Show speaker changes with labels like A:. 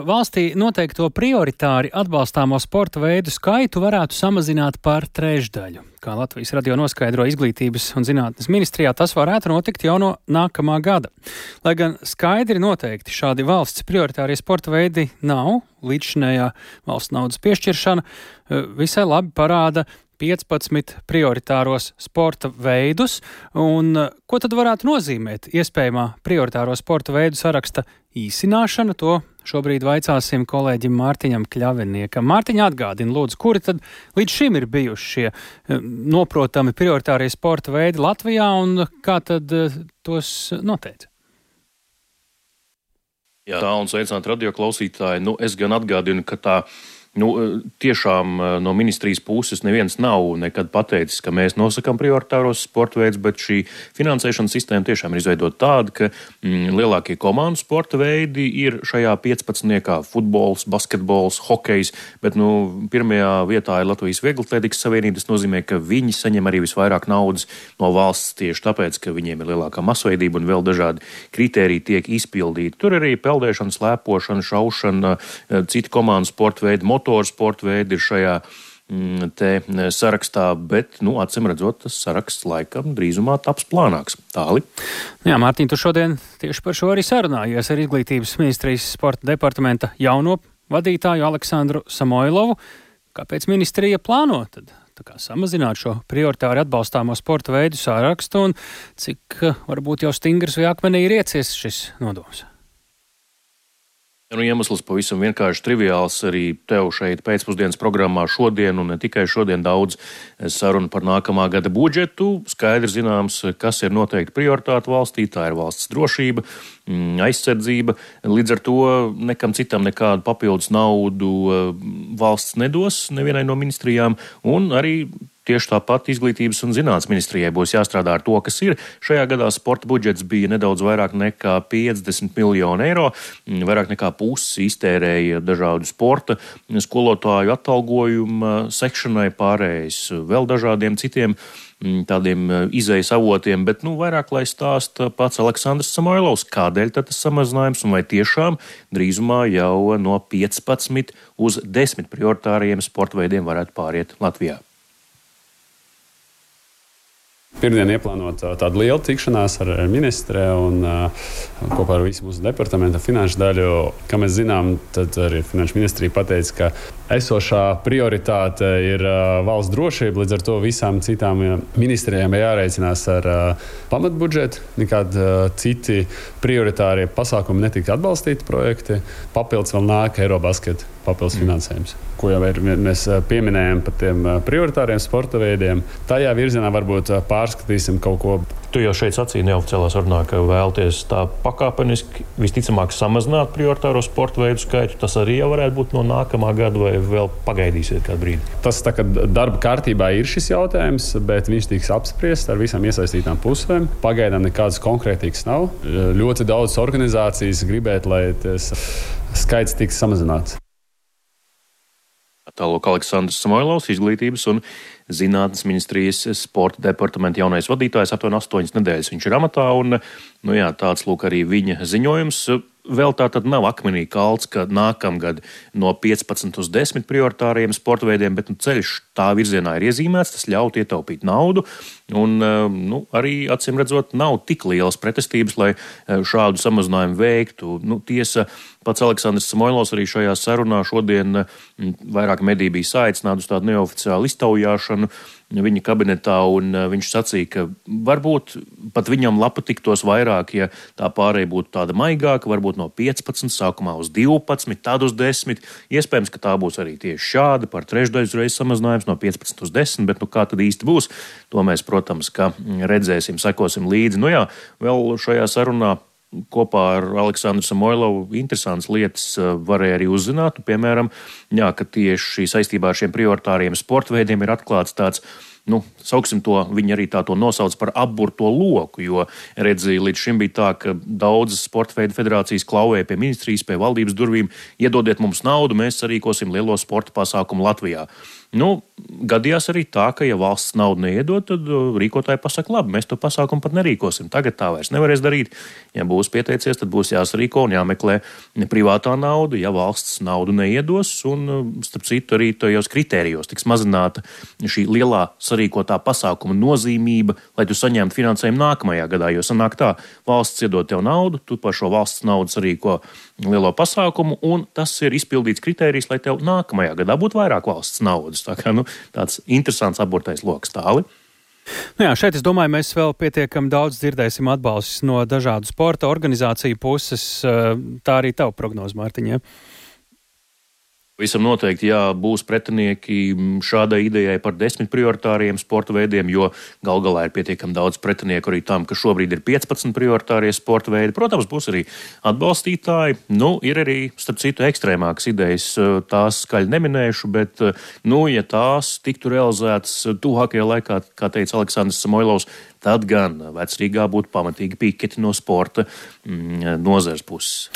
A: Valstī noteikto prioritāri atbalstāmo sporta veidu skaitu varētu samazināt par trešdaļu. Kā Latvijas radio noskaidro Izglītības un zinātnes ministrijā, tas varētu notikt jau no nākamā gada. Lai gan skaidri noteikti šādi valsts prioritārie sporta veidi nav, līdzšinējā valsts naudas piešķiršana visai labi parāda 15 prioritāros sporta veidus, un ko tad varētu nozīmēt iespējamā prioritāro sporta veidu saraksta īsināšana, to šobrīd vaicāsim kolēģim Mārtiņam Kļaviniekam. Mārtiņa, atgādina, lūdzu, kuri tad līdz šim ir bijuši šie noprotami prioritārie sporta veidi Latvijā, un kā tad tos noteica?
B: Jā, tā un sveicināt radio klausītāji. Es gan atgādinu, ka tā tiešām no ministrijas puses neviens nav nekad pateicis, ka mēs nosakām prioritāros sporta veidus, bet šī finansēšanas sistēma tiešām ir izveidota tāda, ka lielākie komandu sporta veidi ir šajā 15. futbols, basketbols, hokejs, bet pirmajā vietā ir Latvijas Vieglatlētikas savienība. Tas nozīmē, ka viņi saņem arī visvairāk naudas no valsts tieši tāpēc, ka viņiem ir lielākā masveidība un vēl dažādi kritēriji tiek izpildīti. Tur arī peldēšana, slēpošana, šaušana, citi komandu sporta veidi, motorsporta veidi ir šajā te sarakstā, bet, acīm redzot, tas saraksts laikam drīzumā taps plānāks. Tāli.
A: Jā, Mārtiņ, tu šodien tieši par šo arī sarunājies ar Izglītības ministrijas sporta departamenta jauno vadītāju Aleksandru Samoilovu. Kāpēc ministrija plāno tad samazināt šo prioritāri atbalstāmo sporta veidu sarakstu un cik varbūt jau stingrs vai akmenī ir iecies šis nodoms?
B: Iemesls pavisam vienkārši triviāls. Arī tev šeit pēcpusdienas programmā šodien, un ne tikai šodien, daudz sarunu par nākamā gada budžetu. Skaidrs zināms, kas ir noteikti prioritāte valstī. Tā ir valsts drošība, aizsardzība. Līdz ar to nekam citam nekādu papildus naudu valsts nedos nevienai no ministrijām, un arī tieši tāpat Izglītības un zinātnes ministrijai būs jāstrādā ar to, kas ir. Šajā gadā sporta budžets bija nedaudz vairāk nekā 50 miljonu eiro, vairāk nekā pusi iztērēja dažādu sporta skolotāju atalgojuma sekšanai, pārējais vēl dažādiem citiem tādiem izejas avotiem, bet vairāk lai stāsta pats Aleksandrs Samoilovs, kādēļ tad tas samazinājums un vai tiešām drīzumā jau no 15 uz 10 prioritāriem sporta veidiem varētu pāriet Latvijā.
C: Pirmdien ieplānota tāda liela tikšanās ar ministre un kopā ar visu mūsu departamenta finanšu daļu. Kā mēs zinām, tad arī finanšu ministrija pateica, ka esošā prioritāte ir valsts drošība, līdz ar to visām citām ministrijām ir jārēķinās ar pamatbudžetu. Nekādi citi prioritārie pasākumi netika atbalstīti projekti. Papildus vēl nāk Eirobasketa papildus finansējums, ko jau mēs pieminējam par tiem prioritāriem sporta veidiem. Tajā virzienā varbūt pārskatīsim kaut ko.
B: Tu jau šeit sacīji neoficiālā sarunā, ka vēlties tā pakāpeniski visticamāk samazināt prioritāro sporta veidu skaitu. Tas arī jau varētu būt no nākamā gada, vai vēl pagaidīsiet kādu brīdi?
C: Tas tā kā darba kārtībā ir šis jautājums, bet viņš tiks apspriests ar visām iesaistītām pusēm. Pagaidām nekādas konkrētīgas nav. Ļoti daudz organizācijas gribētu, lai tas skaits tiks samazināts.
B: Tālāk Aleksandrs Samoilovs, Izglītības un zinātnes ministrijas sporta departamenta jaunais vadītājs, aptuveni 8 nedēļas viņš ir amatā, un tāds lūk arī viņa ziņojums. Vēl tā tad nav akmenī kalts, ka nākamgad no 15 uz 10 prioritāriem sporta veidiem, bet ceļš tā virzienā ir iezīmēts, tas ļaut ietaupīt naudu, un arī, acīm redzot, nav tik lielas pretestības, lai šādu samazinājumu veiktu. Tiesa, pats Aleksandrs Samoilovs arī šajā sarunā šodien vairāk mediji bija saicināti uz tādu neoficiālu iztaujāšanu viņa kabinetā, un viņš sacīja, ka varbūt pat viņam lapa tiktos vairāk, ja tā pārēja būtu tāda maigāka, varbūt no 15, sākumā uz 12, tad uz 10. Iespējams, ka tā būs arī tieši šāda, par trešdaļas reizes samazinājums no 15 uz 10, bet kā tad īsti būs, to mēs, protams, ka redzēsim, sekosim līdzi. Vēl šajā sarunā kopā ar Aleksandru Samoilovu interesantas lietas varēja arī uzzināt. Piemēram, ka tieši saistībā ar šiem prioritāriem sporta veidiem ir atklāts tāds, sauksim to, viņi arī to nosauc par apburto loku, jo redzīja līdz šim bija tā, ka daudzas sporta veidu federācijas klauvēja pie ministrijas, pie valdības durvīm, iedodiet mums naudu, mēs sarīkosim lielo sporta pasākumu Latvijā. gadījās arī tā, ka, ja valsts naudu neiedod, tad rīkotāji pasaka, labi, mēs to pasākumu pat nerīkosim. Tagad tā vairs nevarēs darīt. Ja būs pieteicies, tad būs jāsarīko un jāmeklē privātā nauda, ja valsts naudu neiedos. Un, starp citu, arī tajos kritērijos tiks mazināta šī lielā sarīkotā pasākuma nozīmība, lai tu saņemtu finansējumu nākamajā gadā. Jo sanāk tā, valsts iedod tev naudu, tu par šo valsts naudu sarīko lielo pasākumu, un tas ir izpildīts kritērijs, lai tev nākamajā gadā būtu vairāk valsts naudas. Tā kā, tāds interesants aburtais loks tāli.
A: Nu jā, šeit, es domāju, mēs vēl pietiekami daudz dzirdēsim atbalstus no dažādu sporta organizāciju puses. Tā arī tava prognoze, Mārtiņ, ja?
B: Visam noteikti, jā, būs pretinieki šādai idejai par 10 prioritāriem sporta veidiem, jo gal galā ir pietiekami daudz pretinieku arī tam, ka šobrīd ir 15 prioritārie sporta veidi. Protams, būs arī atbalstītāji. Ir arī, starp citu, ekstrēmākas idejas, tās skaļi neminējuši, bet, ja tās tiktu realizētas tuvākajā laikā, kā teica Aleksandrs Samoilovs, tad gan Vecrīgā būtu pamatīgi piketi no sporta nozares puses.